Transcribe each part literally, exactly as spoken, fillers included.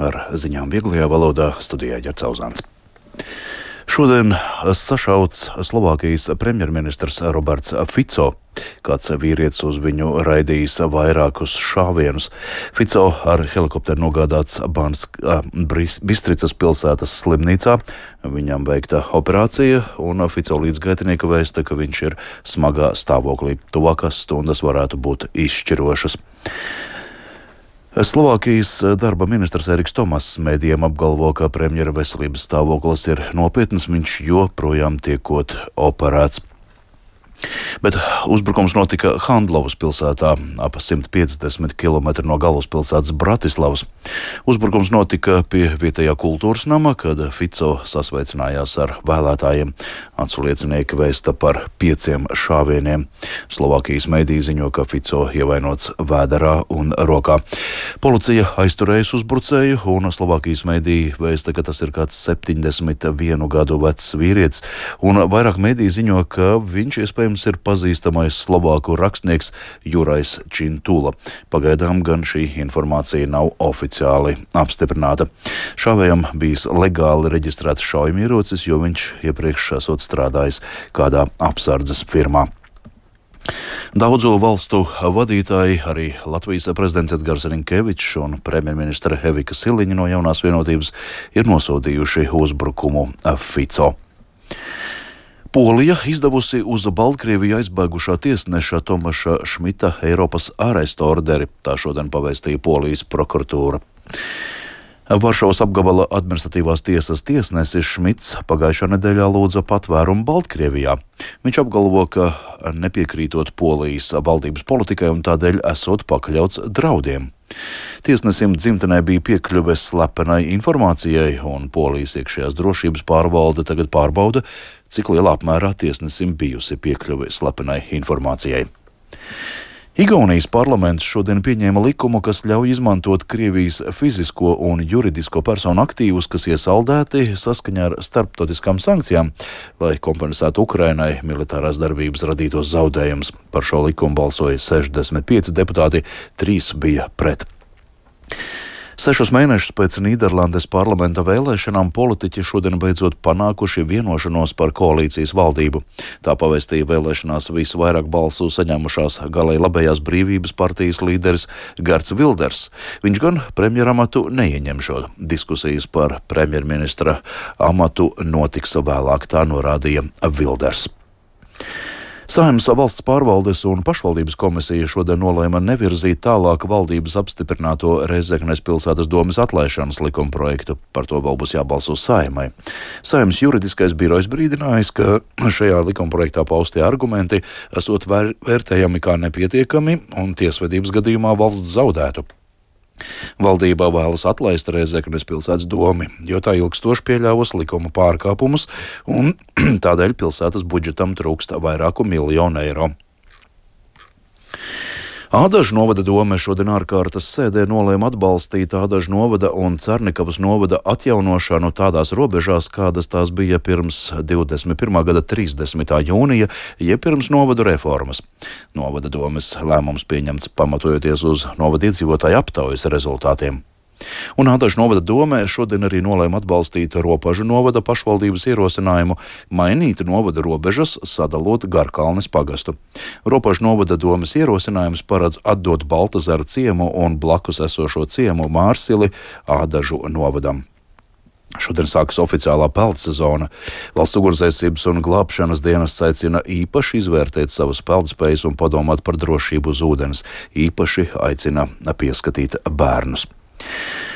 ar ziņām vieglajā valodā studijā Ģerts Auzāns. Šodien sašauts Slovākijas premjerministrs Roberts Fico. Kāds vīrietis uz viņu raidījis vairākus šāvienus. Fico ar helikopteru nogādāts Bansk, Bistricas pilsētas slimnīcā. Viņam veikta operācija, un Fico līdzgaitinieka vēsta, ka viņš ir smagā stāvoklī. Tuvākās stundas varētu būt izšķirošas. Slovākijas darba ministrs Eriks Tomass mēdījiem apgalvo, ka premjera veselības stāvoklis ir nopietns, viņš joprojām tiekot operēts. Bet uzbrukums notika Handlovas pilsētā, ap simt piecdesmit kilometri no galvaspilsētas Bratislavas. Uzbrukums notika pie vietējā kultūras nama, kad Fico sasveicinājās ar vēlētājiem. Atsliecinieki vēsta par pieciem šāvieniem. Slovākijas mediji ziņo, ka Fico ievainots vēderā un rokā. Policija aizturējas uzbrucēju, un Slovākijas mediji vēsta, ka tas ir kāds septiņdesmit vienu gadu vecs vīrietis, un vairāk mediji ziņo, ka viņš iespējams ir pazīstamais slovāku rakstnieks Jurais Čintula. Pagaidām gan šī informācija nav oficiāli apstiprināta. Šāvējam bijis legāli reģistrēts šaujamierocis, jo viņš iepriekš esot strādājis kādā apsardzes firmā. Daudzu valstu vadītāji, arī Latvijas prezidents Edgars Rinkevičs un premjerministre Evika Siliņa no Jaunās vienotības ir nosodījuši uzbrukumu Fico. Polija izdevusi uz Baltkrieviju aizbēgušā tiesneša Tomaša Šmita Eiropas ārestu orderi, tā šodien pavēstīja Polijas prokuratūra. Varšavas apgabala administratīvās tiesas tiesnesis Šmits pagājušā nedēļā lūdza patvērumu Baltkrievijā. Viņš apgalvo, ka nepiekrītot Polijas valdības politikai un tādēļ esot pakļauts draudiem. Tiesnesim dzimtenē bija piekļuve slepenai informācijai, un Polijas iekšējās drošības pārvalde tagad pārbauda, cik lielā apmērā tiesnesim bijusi piekļuve slepenai informācijai. Igaunijas parlaments šodien pieņēma likumu, kas ļauj izmantot Krievijas fizisko un juridisko personu aktīvus, kas iesaldēti saskaņā ar starptautiskām sankcijām, lai kompensētu Ukrainai militārās darbības radītos zaudējumus. Par šo likumu balsoja sešdesmit pieci deputāti, trīs bija pret. Sešus mēnešus pēc Nīderlandes parlamenta vēlēšanām politiķi šodien beidzot panākuši vienošanos par koalīcijas valdību. Tā pavēstīja vēlēšanās visvairāk balsu saņēmušās galēji labējās brīvības partijas līderis Gerts Vilders. Viņš gan premjeramatu neieņemšot. Diskusijas par premjerministra amatu notiks vēlāk, tā norādīja Vilders. Saeimas valsts pārvaldes un pašvaldības komisija šodien nolēma nevirzīt tālāk valdības apstiprināto Rēzeknes pilsētas domes atlaišanas likumprojektu. Par to vēl būs jābalso Saeimai. Saeimas juridiskais birojs brīdinājis, ka šajā likumprojektā paustie argumenti esot vēr- vērtējami kā nepietiekami un tiesvedības gadījumā valsts zaudētu. Valdībā vēlas atlaist Rēzeknes pilsētas domi, jo tā ilgstoši pieļāvusi likuma pārkāpumus, un tādēļ pilsētas budžetam trūkst vairāku miljonu eiro. Ādažu novada dome šodien ārkārtas sēdē nolēma atbalstīt Ādažu novada un Cernikavas novada atjaunošanu tādās robežās, kādas tās bija pirms divdesmit pirmā gada trīsdesmitā jūnija, jeb pirms novadu reformas. Novada domes lēmums pieņemts pamatojoties uz novada iedzīvotāju aptaujas rezultātiem. Un Ādažu novada domē šodien arī nolēma atbalstīt Ropažu novada pašvaldības ierosinājumu mainīt novada robežas, sadalot Garkalnes pagastu. Ropažu novada domes ierosinājums paredz atdot Baltazaru ciemu un blakus esošo ciemu Mārsili Ādažu novadam. Šodien sākas oficiālā peldsezona. Valsts ugunsdzēsības un glābšanas dienas aicina īpaši izvērtēt savas peldspējas un padomāt par drošību uz ūdens. Īpaši aicina pieskatīt bērnus.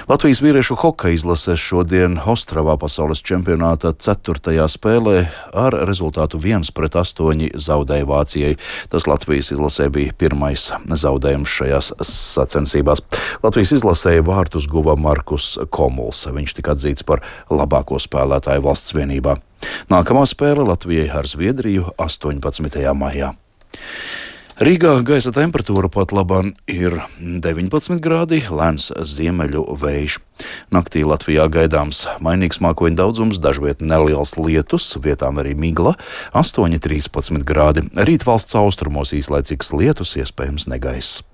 Latvijas vīriešu hokeja izlase šodien Ostravā pasaules čempionāta ceturtajā spēlē ar rezultātu viens pret astoņi zaudēja Vācijai. Tas Latvijas izlasē bija pirmais zaudējums šajās sacensībās. Latvijas izlasēja vārtus guva Markus Komuls. Viņš tika atzīts par labāko spēlētāju valsts vienībā. Nākamā spēle Latvijai ar Zviedriju astoņpadsmitajā maijā. Rīgā gaisa temperatūra pat labāk ir deviņpadsmit grādi, lēns ziemeļu vējš. Naktī Latvijā gaidāms mainīgs mākoņu daudzums, dažviet neliels lietus, vietām arī migla, astoņi līdz trīspadsmit grādi. Rīt valsts austrumos īslaicīgs lietus, iespējams negaiss.